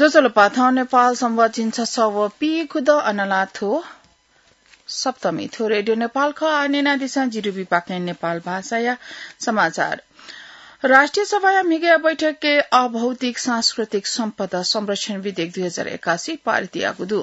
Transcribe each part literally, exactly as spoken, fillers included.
ज्वजलपा, थौं नेपाल संवत झिंछसः व पीखुदँ अनलाथ्व सप्तमी। थ्व रेडियो नेपाल खः। आः न्यनादिसँ जिरुबी पाखें नेपाल भाषाया समाचार। राष्ट्रिय सभाया म्हिगःया बैठकय् अभौतिक सांस्कृतिक सम्पदा संरक्षण विधेयक दुई हजार एकासी पारित याःगु दु।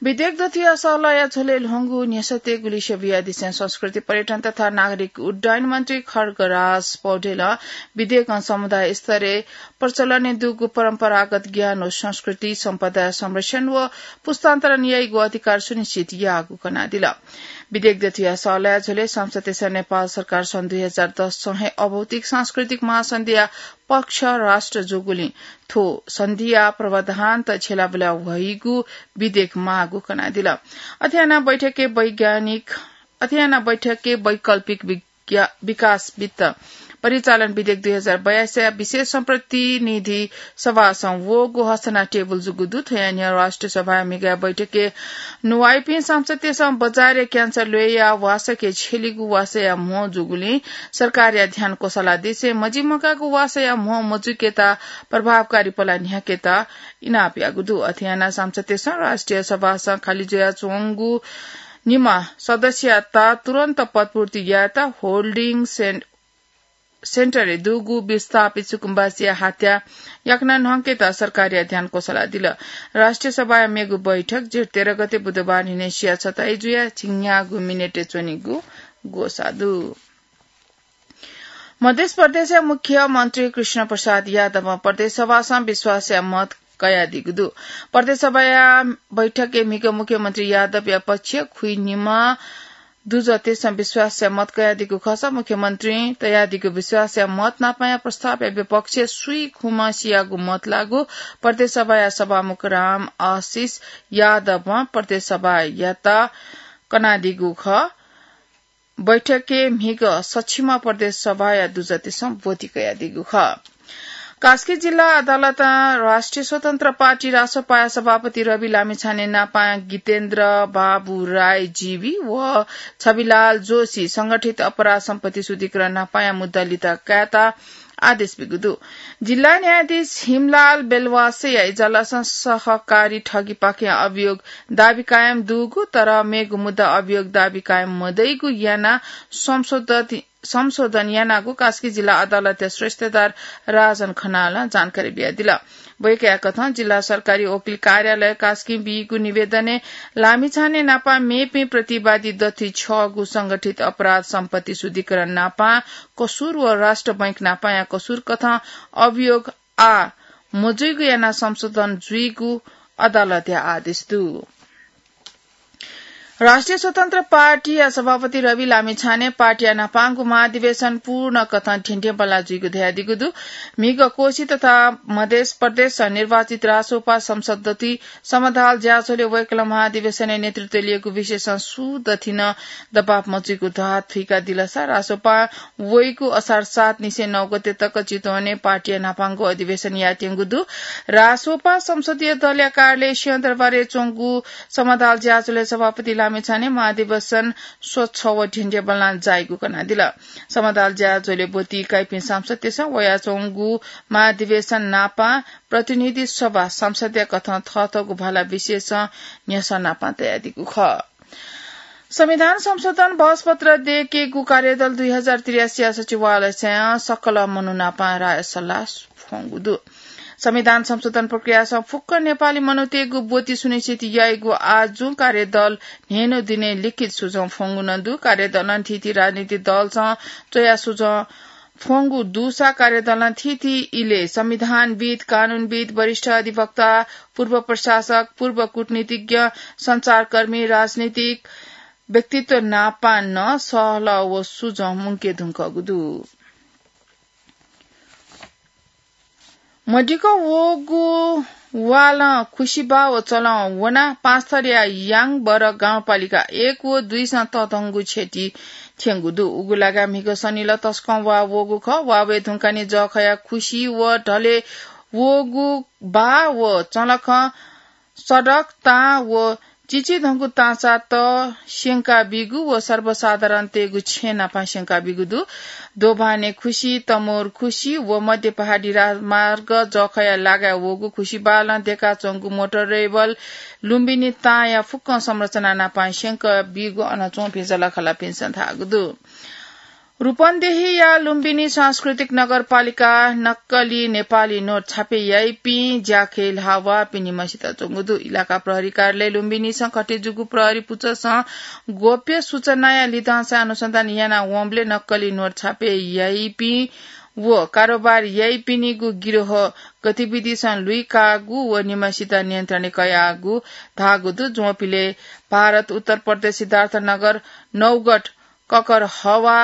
विधेयक दथुया सःलया झ्वलय् ल्ह्वंगु न्ह्यसःतय् गुलिस्यु बियादिसें संस्कृति, पर्यटन तथा नागरिक उड्डयन मन्त्री खड्गराज पौडेलं विधेयकं समुदाय स्तरय् प्रचलनय् दुगु परम्परागत ज्ञान व संस्कृति सम्पदा संरक्षण व पुस्तान्तरण याइगु अधिकार सुनिश्चित याःगु कनादिल। विधेयक दथुया सःलया झ्वलय् सांसदतय्सं नेपाल सरकार सन् दुई हजार दससं हे अभौतिक सांस्कृतिक महासन्धिया पक्ष राष्ट्र जूगुलिं थ्व सन्धिया प्रावधानत छ्यलाबुला ह्वइगु विधेयक माःगु कनादिल। अथे यानाः बैठकय् वैज्ञानिक, अथे यानाः बैठकय् वैकल्पिक विज्ञा-, विकास वित्त परिचालन विधेयक दुई हजार बयासीया विशेष सम्प्रतिनिधि सभासं वःगु हस्ताना टेबुल जूगु दु। थ्वया न्ह्यः राष्ट्रिय सभाया म्हिगःया बैठकय् नुवाइपिं सांसदतय्सं बजारया क्यान्सर ल्वय्या वासःके छ्यलीगु वासःया म्हो जूगुलिं सरकारया ध्यान क्वसालादिसें मजिमकाःगु वासःया म्हो मजुइकेत प्रभावकारी पला न्ह्याकेत इनाप याःगु दु। अथे यानाः सांसदतय्सं राष्ट्रिय सभासं खालि जुयाच्वंगु निम्ह सदस्ययात तुरन्त पदपूर्ति यायेत होल्डिङ सेन-, सेन्टरय् दुगु विस्थापित सुकुम्बासीया हत्या याकनं न्हंकेत सरकारया ध्यान क्वसालादिल। राष्ट्रिय सभाया मेगु बैठक जेठ तेह्र गते बुधबार न्हिनय् सिया छताइ जुयाः झिंन्यागू मिनेटय् च्वनीगु ग्वसाः दु। मध्य प्रदेशया मुख्यमन्त्री कृष्ण प्रसाद यादवं प्रदेश सभासं विश्वासया मत कयादीगु दु। प्रदेश सभाया बैठकय् म्हिगः मुख्यमन्त्री यादवया पक्षय् खुइनिम्ह दुजःतय्सं विश्वासया मत कयादीगु खःसा मुख्यमन्त्रीं तयादीगु विश्वासया मत नापंया प्रस्तावया विपक्षय् स्वीखुम्ह सियागु मत लाःगु प्रदेश सभाया सभामुख राम आशिष यादवं प्रदेश सभायात कनादीगु खः। बैठकय् म्हिगः सछिम्ह प्रदेश सभाया दुजःतय्सं ब्वति कयादीगु खः। कास्की जिल्ला अदालतं राष्ट्रिय स्वतन्त्र पार्टी रासोपाया सभापति रवि लामिछाने नापां गितेन्द्र बाबु राई जीवी व छविलाल जोशी संगठित अपराध सम्पत्ति शुद्धिकरण नापांया मुद्दा लित कायेत आदेश बिगु दु। जिल्ला न्यायाधीश हिमलाल बेलवासेया इजलासं सहकारी ठगीपाखें अभियोग दाबी कायम दुगु, तर मेगु मुद्दा अभियोग दाबी कायम मदइगु यानाः संशोधित संशोधन यानागु कास्की जिल्ला अदालतया श्रेष्ठदार राजन खनालं जानकारी बियादिल। वय्कःया कथं जिल्ला सरकारी वकिल कार्यालय कास्कीं बीगु निवेदनय् लामिछाने नापं मेपिं प्रतिवादी दथुइ छगू संगठित अपराध सम्पत्ति शुद्धिकरण नापं कसुर व राष्ट्र बैंक नापंया कसुर कथं अभियोग आः मजुइगु यानाः संशोधन जुइगु अदालतया आदेश दु। राष्ट्रिय स्वतन्त्र पार्टीया सभापति रवि लामिछाने पार्टीया न्हापांगु महाधिवेशन पूर्ण कथं ध्येंध्येंबल्लाः जुइगु धयादीगु दु। म्हिगः कोशी तथा मधेस प्रदेशं निर्वाचित रासोपा संसद दथुइ समदाल ज्याझ्वलय् वय्कलं महाधिवेशनय् नेतृत्व लिएको विषयसं सुं दथुइ नं दबाव मजुइगु धाः थुइकादिलसा रासोपां वइगु असार सात निसें नौ गते तक चितवनय् पार्टीया न्हापांगु अधिवेशन यायेत्यंगु दु। रासोपा संसदीय दलया कार्यालय सिंहदरबारय् च्वंगु समदाल ज्याझ्वलय् सभापति लामिछाने महाधिवेशन स्वच्छ व ध्येंध्येंबल्लां जाइगु कनादिल। समदाल ज्याझ्वलय् ब्वति काइपिं सांसदतय्सं वयाच्वंगु महाधिवेशन नापं प्रतिनिधि सभा संसदया कथं थःथःगु भाला विषयसं न्ह्यसः नापं तयादीगु खः। संविधान संशोधन बहसपत्र दयेकेगु कार्यदल दुई हजार त्रियासीया सचिवालयसं सकल मनू नापं राय सल्लाह फ्वंगु दु। संविधान संशोधन प्रक्रियासं फुक्क नेपाली मनूतय्गु ब्वति सुनिश्चित याइगु आजुं कार्यदल न्हय्न्हु दिनय् लिखित सुझं फ्वंगु नं दु। कार्यदलं थीथी राजनीतिक दलसं च्वया सुझं फ्वंगु दुसा कार्यदलं थीथी इलय् संविधानविद, कानूनविद, वरिष्ठ अधिवक्ता, पूर्व प्रशासक, पूर्व कूटनीतिज्ञ, सञ्चारकर्मी, राजनीतिक व्यक्तित्व नापं नं सहलह व सुझं मुंके धुंकूगु दु। मदिक्क वःगु वालं खुसिबाः व चलं वनाः पाँचथरया याङबर गाउँपालिका एक व दुइसं तःधंगु क्षति थ्यंगु दु। उगु लागाय् म्हिगः सनिलः तसकं वा वःगु खः। वा वये धुंकाः निं जःखया खुसि व ढलय् वःगु बाः व चलखं सडक, तां व चिचिधंगु ताँचात स्यंका बीगु व सर्वसाधारणतय्गु छेँ नापं स्यंका बीगु दु। दोभाने खुसी, तमोर खुसी व मध्य पहाडी राजमार्ग जखया लागाय् वःगु खुसी बालं देकाच्वंगु मोटर रेबल लुम्बिनी ताँया फुक्कं संरचना नापं स्यंका बीगु अन च्वंपिं जःलाखःलापिन्सं धाःगु दु। रूपन्देहीया लुम्बिनी सांस्कृतिक नगरपालिका नक्कली नेपाली नोट छापे याइपिं ज्याखँय् ल्हाः वःपिं निम्हसित च्वंगु दु। इलाका प्रहरी कार्यालय लुम्बिनीसं कथं जूगु प्रहरी पुचःसं गोप्य सूचनाया लिधंसां अनुसन्धान याना वंबलय् नक्कली नोट छापे याइपिं व कारोबार याइपिनिगु गिरोह गतिविधिसं लुइकागु व निम्हसित नियन्त्रणय् कयागु धाःगु दु। ज्वंपिलय् भारत उत्तर प्रदेश सिद्धार्थनगर नौगढ ककर हवा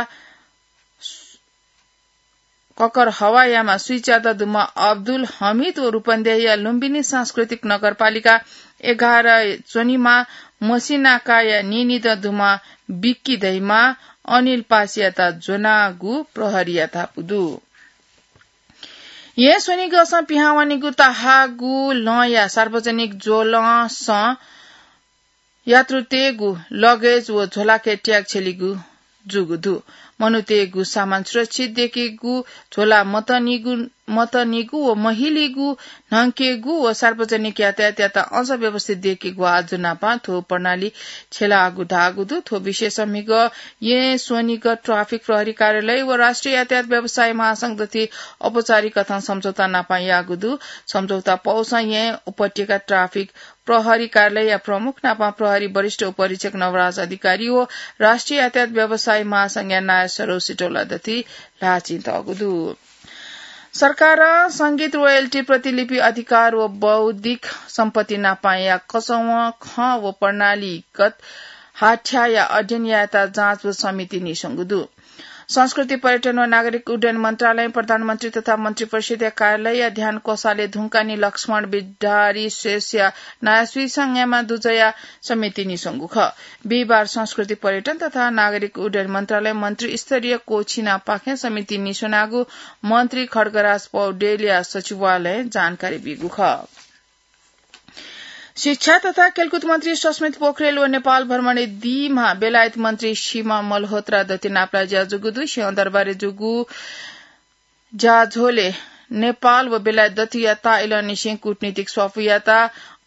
ककर हवायामा स्वीच्यादँ दुम्ह अब्दुल हमिद व रूपन्देहीया लुम्बिनी सांस्कृतिक नगरपालिका एघार च्वनीम्ह मसिनाकाया नीनिदँ दुम्ह बिक्की धइम्ह अनिल पासीयात ज्वनागु प्रहरीया धापू दु। येँ स्वनिगःसं पिहां वनीगु ताहाःगु लँया सार्वजनिक ज्वलंसं यात्रुतय्गु लगेज व झोलाके ट्याग छ्यलीगु जूगु दु। मनूतय्गु सामान सुरक्षित दयेकेगु, झोला मतनीगु, मतनीगु व महिलीगु न्हंकेगु व सार्वजनिक यातायातयात अझ व्यवस्थित दयेकेगु आज्जु नापं थ्व प्रणाली छ्यलाःगु धाःगु दु। थ्व विषयसं म्हिगः येँ स्वनिगः ट्राफिक प्रहरी कार्यालय व राष्ट्रिय यातायात व्यवसायी महासंघ दथुइ औपचारिक कथं सम्झौता नापं याःगु दु। सम्झौता पौसं येँ उपत्यका ट्राफिक प्रहरी कार्यालयया प्रमुख नापं प्रहरी वरिष्ठ उपरीक्षक नवराज अधिकारी व राष्ट्रिय यातायात व्यवसायी महासंघया नायः सरोज सिटौला दथुइ ल्हाःचिं तःगु दु। सरकारं संगीत रोयल्टी प्रतिलिपि अधिकार व बौद्धिक सम्पत्ति नापंया कचवं खँ व प्रणालीगत हाथ्याया अध्ययन यायेत जाँच व समिति नीस्वंगु दु। संस्कृति, पर्यटन व नागरिक उड्डयन मन्त्रालयं प्रधानमन्त्री तथा मन्त्रिपरिषदया कार्यालयया ध्यान कोषालय धुंकानि लक्ष्मण बिडारी शेषया नायःसुइसं न्यायेमा दुजःया समिति नीस्वंगु खः। बिहिबार संस्कृति, पर्यटन तथा नागरिक उड्डयन मन्त्रालय मन्त्रीस्तरीय कोछिनापाखें समिति नीस्वनागु मन्त्री खड्गराज पौडेलया सचिवालयं जानकारी ब्यूगु खः। शिक्षा तथा खेलकुद मन्त्री सस्मित पोखरेल व नेपाल भ्रमणय् दीम्ह बेलायत मन्त्री सीमा मल्होत्रा दथुइ नापलाये ज्या जूगु दु। सिंहदरबारय् जूगु ज्याझ्वलय् नेपाल व बेलायत दथुया ताःइलंनिसें कूटनीतिक स्वापू यायेत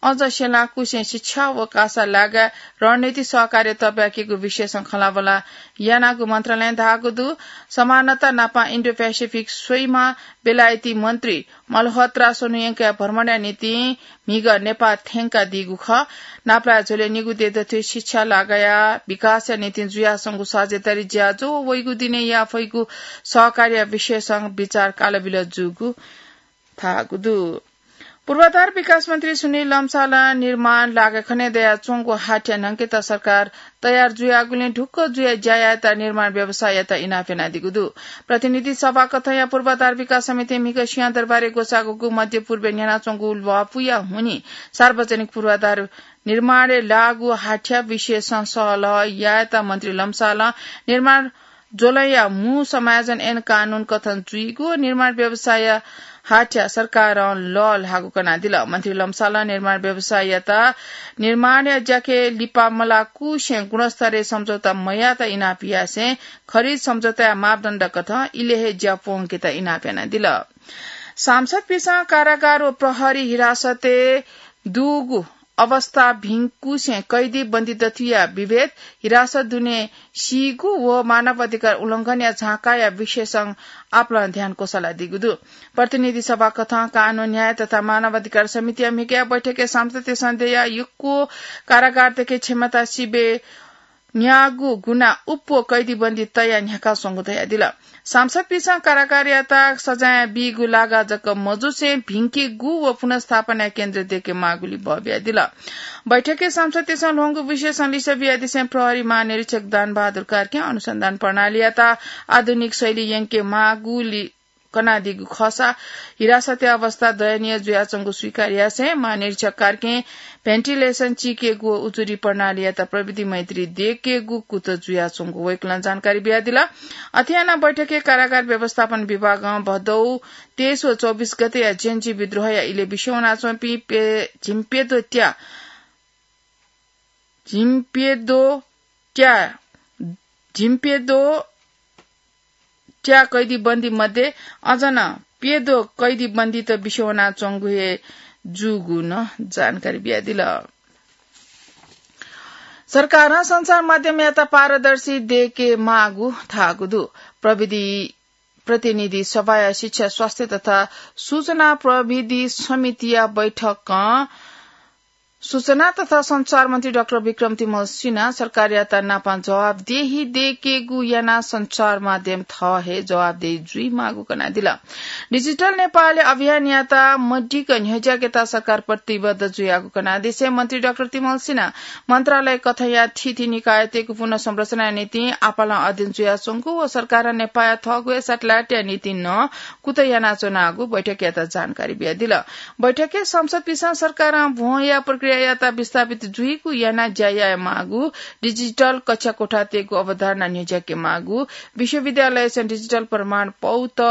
अझ स्यनाकुसें शिक्षा व कासा लागाय् रणनीतिक सहकार्य तःब्याकेगु विषयसं खँल्हाबल्हा यानागु मन्त्रालयं धाःगु दु। समानता नापं इन्डो प्यासिफिक स्वइम्ह बेलायती मन्त्री मल्होत्रा स्वन्हु यंकया भ्रमणया निंतिं म्हिगः नेपाः थ्यंकादीगु खः। नापलाये झ्वलय् निगू देय् दथुइ शिक्षा लागाया विकासया निंतिं जुयाच्वंगु साझेदारी ज्याझ्वः व वइगु दिनय् याये फइगु सहकार्य विषयसं बिचाः कालबिल जूगु धाःगु दु। पूर्वाधार विकास मन्त्री सुनिल लम्सालं निर्माण लागाय् खनेदयाच्वंगु हाथ्या न्हंकेत सरकार तयार जुयागुलिं ढुक्क जुयाः ज्या यायेत निर्माण व्यवसायीयात इनाप यानादीगु दु। प्रतिनिधि सभा कथंया पूर्वाधार विकास समितिं म्हिगः सिंहदरबारय् ग्वसाःगु मध्यपूर्वय् न्ह्यानाच्वंगु ल्वापुया हुनिं सार्वजनिक पूर्वाधार निर्माणय् लाःगु हाथ्या विषयसं सहलह यायेत मन्त्री लम्सालं निर्माण ज्वलंया मू समायोजन ऐन कानून कथं जुइगु व निर्माण व्यवसायया हाथ्या सरकारं लःल्हाःगु कनादिल। मन्त्री लम्सालं निर्माण व्यवसायीयात निर्माणया ज्याखँय् लिपा मलाकुसें गुणस्तरय् सम्झौता मयायेत इनाप यासें खरिद सम्झौताया मापदण्ड कथं इलय् हे ज्या प्वंकेत इनाप यानादिल। सांसदपिंसं कारागार व प्रहरी हिरासतय् दुगु अवस्था भिंकुसें कैदी बन्दी दथुया विभेद, हिरासत दुने सीगु व मानव अधिकार उल्लंघनया झांकाया विषयसं आपालं ध्यान कोसालादीगु दु। प्रतिनिधि सभा कथं कानून, न्याय तथा मानव अधिकार समितिया म्हिगःया बैठकय् सांसदतय्सं दयाः यक्व कारागारतय्के क्षमता सिबय् न्याःगु गुना उप्वः कैदीबन्दी तयाः न्ह्याकाच्वंगु धयादिल। सांसदपिंसं कारागारयात सजाय बीगु लागा जक मजुसें भिंकेगु व पुनर्स्थापनाया केन्द्र दयेके माःगुलि बः बियादिल। बैठकय् सांसदतय्सं ल्ह्वंगु विषयसं लिसः बियादिसें प्रहरी महानिरीक्षक दानबहादुर कार्कीं अनुसन्धान प्रणालीयात आधुनिक शैली यंके माःगुलि कनादीगु खःसा हिरासतया अवस्था दयनीय जुयाच्वंगु स्वीकार यासें महानिरीक्षक कार्कीं भेन्टिलेसन चीकेगु व उजुरी प्रणालीयात प्रविधि मैत्री दयेकेगु कुतः जुयाच्वंगु वय्कलं जानकारी बियादिल। अथे यानाः बैठकय् कारागार व्यवस्थापन विभागं भदौ तेइस व चौबिस गतेया जेनजी विद्रोहया इलय् बिस्युं वनाच्वंपिं प्य-, झिंप्यद्वः त्या झिम्प्यद्वः त्या, झिम्प्यद्वः त्या कैदीबन्दी मध्ये अझ नं प्यद्वः कैदीबन्दीत बिस्युं वनाच्वंगु हे जूगु नं जानकारी बियादिल। सरकारं सञ्चार माध्यमयात पारदर्शी दयेके माःगु धाःगु दु। प्रविधि प्रतिनिधि सभाया शिक्षा, स्वास्थ्य तथा सूचना प्रविधि समितिया बैठकं सूचना तथा सञ्चार मन्त्री डाक्टर विक्रम तिमल सिन्हा सरकारयात नापं जवाफदेही दयेकेगु यानाः सञ्चार माध्यम थः हे जवाफदेही जुइमाःगु कनादिल। डिजिटल नेपाल अभियान यात मदिक्क न्ह्यज्याकेत सरकार प्रतिबद्ध जुयागु कनादिसें मन्त्री डाक्टर तिमल सिन्हा मन्त्रालय कथंया थीथी निकायतय्गु पुनर्संरचनाया निंतिं आपालं अध्ययन जुयाच्वंगु व सरकारं नेपाःया थःगु हे satellite या निंतिं नं कुतः यानाच्वनागु बैठकयात जानकारी बियादिल। बैठकय् सांसदपिन्सं सरकारं भ्वंया प्रक्रियायात विस्थापित जुइगु यानाः ज्या यायेमाःगु, डिजिटल कक्षा कोठातय्गु अवधारणा न्ह्यज्याकेमाःगु, विश्वविद्यालयसं डिजिटल प्रमाणपौत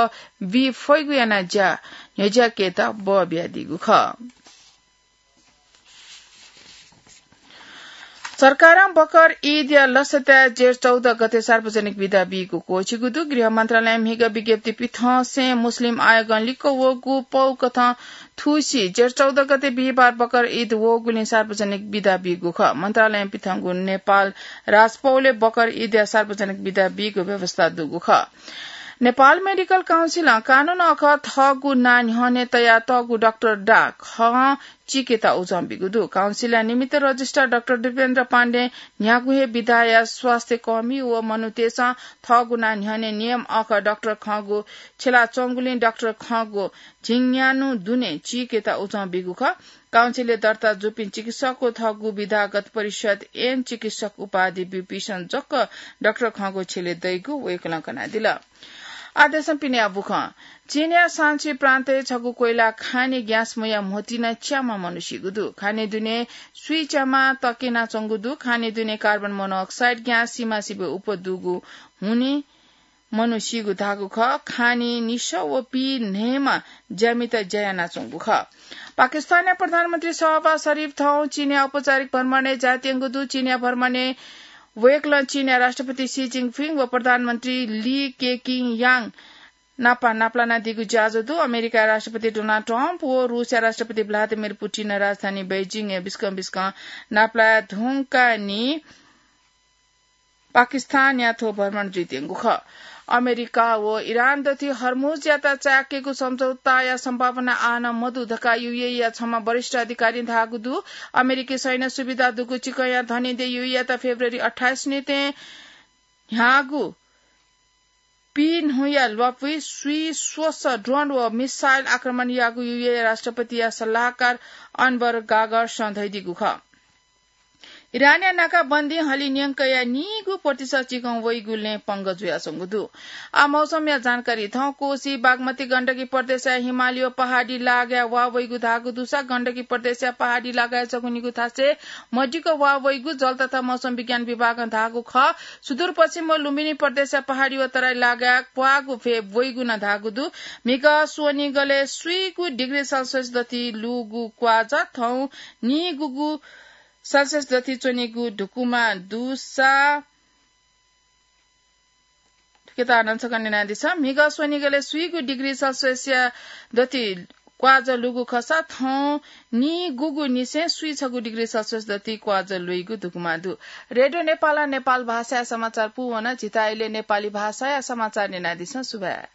बी फइगु यानाः ज्या न्ह्यज्याकेत बः बियादीगु खः। सरकारं बकर ईदया लसताय् जेठ चौध गते सार्वजनिक बिदा बीगु क्वःछिगु दु। गृह मन्त्रालयं म्हिगः विज्ञप्ति पिथंसें मुस्लिम आयोगं लिक्क वःगु पौ कथं थुसी जेठ चौध गते बिहिबार बकर ईद वःगुलिं सार्वजनिक बिदा बीगु खः। मन्त्रालयं पिथंगु नेपाल राजपौलय् बकर ईदया सार्वजनिक बिदा बीगु व्यवस्था दुगु खः। नेपाल मेडिकल काउन्सिलं कानून अखः थःगु नां न्ह्यःने तयातःगु डाक्टर डाकखं चीकेत उजं बीगु दु। काउन्सिलया निमित्त रजिस्ट्रार डाक्टर दीपेन्द्र पाण्डें न्ह्यागु हे विधाया स्वास्थ्यकर्मी व मनूतय्सं थःगु नां न्ह्यःने नियम अखः डाक्टर खंगु छ्यलाच्वंगुलिं डाक्टर खंगु झिंन्यान्हु दुने चीकेत उजं बीगु खः। काउन्सिलय् दर्ता जूपिं चिकित्सक व थःगु विधागत परिषद ऐन चिकित्सक उपाधि ब्यूपिन्सं जक डाक्टर खंगु छ्यले दइगु वय्कलं कनादिल। आः देशं पिनेया बुखँ। चीनया शान्सी प्रान्तय् छगू कोइला खानी ग्याँस मुया म्होतिं च्याम्ह मनू सीगु दु। खानी दुने स्वीच्याम्ह तक्यनाच्वंगु दु। खानी दुने कार्बन मोनोक्साइड ग्याँस सिमासिबय् उप्वः दुगु हुनिं मनू सीगु धाःगु खः। खानी निसः व पीन्हय्म्ह ज्यामित ज्या यानाच्वंगु खः। पाकिस्तानया प्रधानमन्त्री शहबाज शरीफ थौं चीनया औपचारिक भ्रमणय् जायेत्यंगु दु। चीनया भ्रमणय् वय्कलं चीनया राष्ट्रपति सी जिनपिङ व प्रधानमन्त्री ली केकिङयाङ नाप नापलानादीगु ज्याझ्वः दु। अमेरिकाया राष्ट्रपति डोनाल्ड ट्रम्प व रूसया राष्ट्रपति भ्लादिमिर पुटिन राजधानी बेजिङय् बिस्कं बिस्कं नापलाये धुंकाः नि पाकिस्तानया थ्व भ्रमण जुइत्यंगु खः। अमेरिका व इरान दथुइ हर्मुजयात चाय्केगु सम्झौताया सम्भावना आः नं मदु धकाः यूएईया छम्ह वरिष्ठ अधिकारीं धाःगु दु। अमेरिकी सैन्य सुविधा दुगु चिकंया धनी देय् यूएईयात फेब्रुअरी अट्ठाइस निंतिं न्ह्याःगु पीन्हुया ल्वापुइ स्वीस्वसः ड्रोन व मिसाइल आक्रमण याःगु यूएई राष्ट्रपतिया सल्लाहकार अनवर गागर्सं धयादीगु खः। इरानया नाकाबन्दी हलिं न्यंकया नीगू प्रतिशत चिकं वइगु लँय् पंगः जुयाच्वंगु दु। आः मौसमया जानकारी। थौं कोसी, बागमती, गण्डकी प्रदेशया हिमालय व पहाडी लागाय् वा वइगु धाःगु दुसा गण्डकी प्रदेशया पहाडी लागाय् जक निगू थासय् मदिक्क वा वइगु जल तथा मौसम विज्ञान विभागं धाःगु खः। सुदूरपश्चिम व लुम्बिनी प्रदेशया पहाडी व तराई लागाय् क्वाःगु भ्वय् वइगु नं धाःगु दु। म्हिगः स्वनिगलय् स्वीगू डिग्री सेल्सियस दथुइ लूगु क्वाःजः थौं नीगूगू सेल्सियस दथुइ च्वनीगु धुकुमा दुसा थुकेत नं छकः न्यनादिसँ। म्हिगः स्वनिगलय् स्वीगू डिग्री सेल्सियसया दथुइ क्वाःजः लूगु खःसा थौं नीगूगुनिसें स्वीछगू डिग्री सेल्सियस दथुइ क्वाःजः लुइगु धुकुमा दु। रेडियो नेपालं नेपाल भाषाया समाचार पूवन। झीत इलय् नेपाली भाषाया समाचार न्यनादिसँ। सुभाय्।